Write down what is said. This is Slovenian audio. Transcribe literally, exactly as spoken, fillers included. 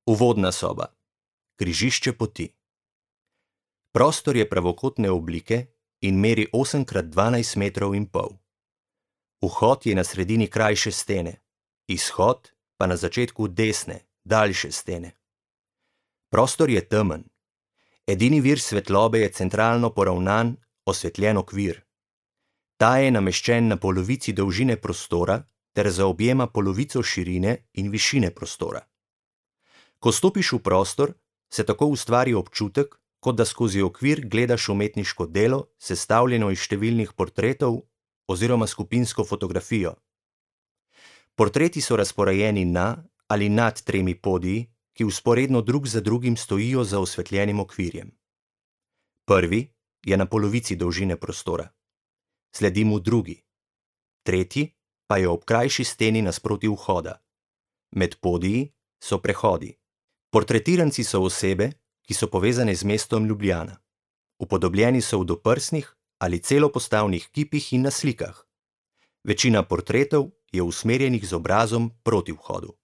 Uvodna soba. Križišče poti. Prostor je pravokotne oblike in meri osem krat dvanajst metrov in pol. Vhod je na sredini krajše stene, izhod pa na začetku desne, daljše stene. Prostor je temen. Edini vir svetlobe je centralno poravnan, osvetljen okvir. Ta je nameščen na polovici dolžine prostora ter zaobjema polovico širine in višine prostora. Ko stopiš v prostor, se tako ustvari občutek, kot da skozi okvir gledaš umetniško delo, sestavljeno iz številnih portretov oziroma skupinsko fotografijo. Portreti so razporejeni na ali nad tremi podiji, ki vzporedno drug za drugim stojijo za osvetljenim okvirjem. Prvi je na polovici dolžine prostora. Sledi mu drugi. Tretji pa je ob krajši steni nasproti vhoda. Med podiji so prehodi. Portretiranci so osebe, ki so povezane z mestom Ljubljana. Upodobljeni so v doprsnih ali celopostavnih kipih in na slikah. Večina portretov je usmerjenih z obrazom proti vhodu.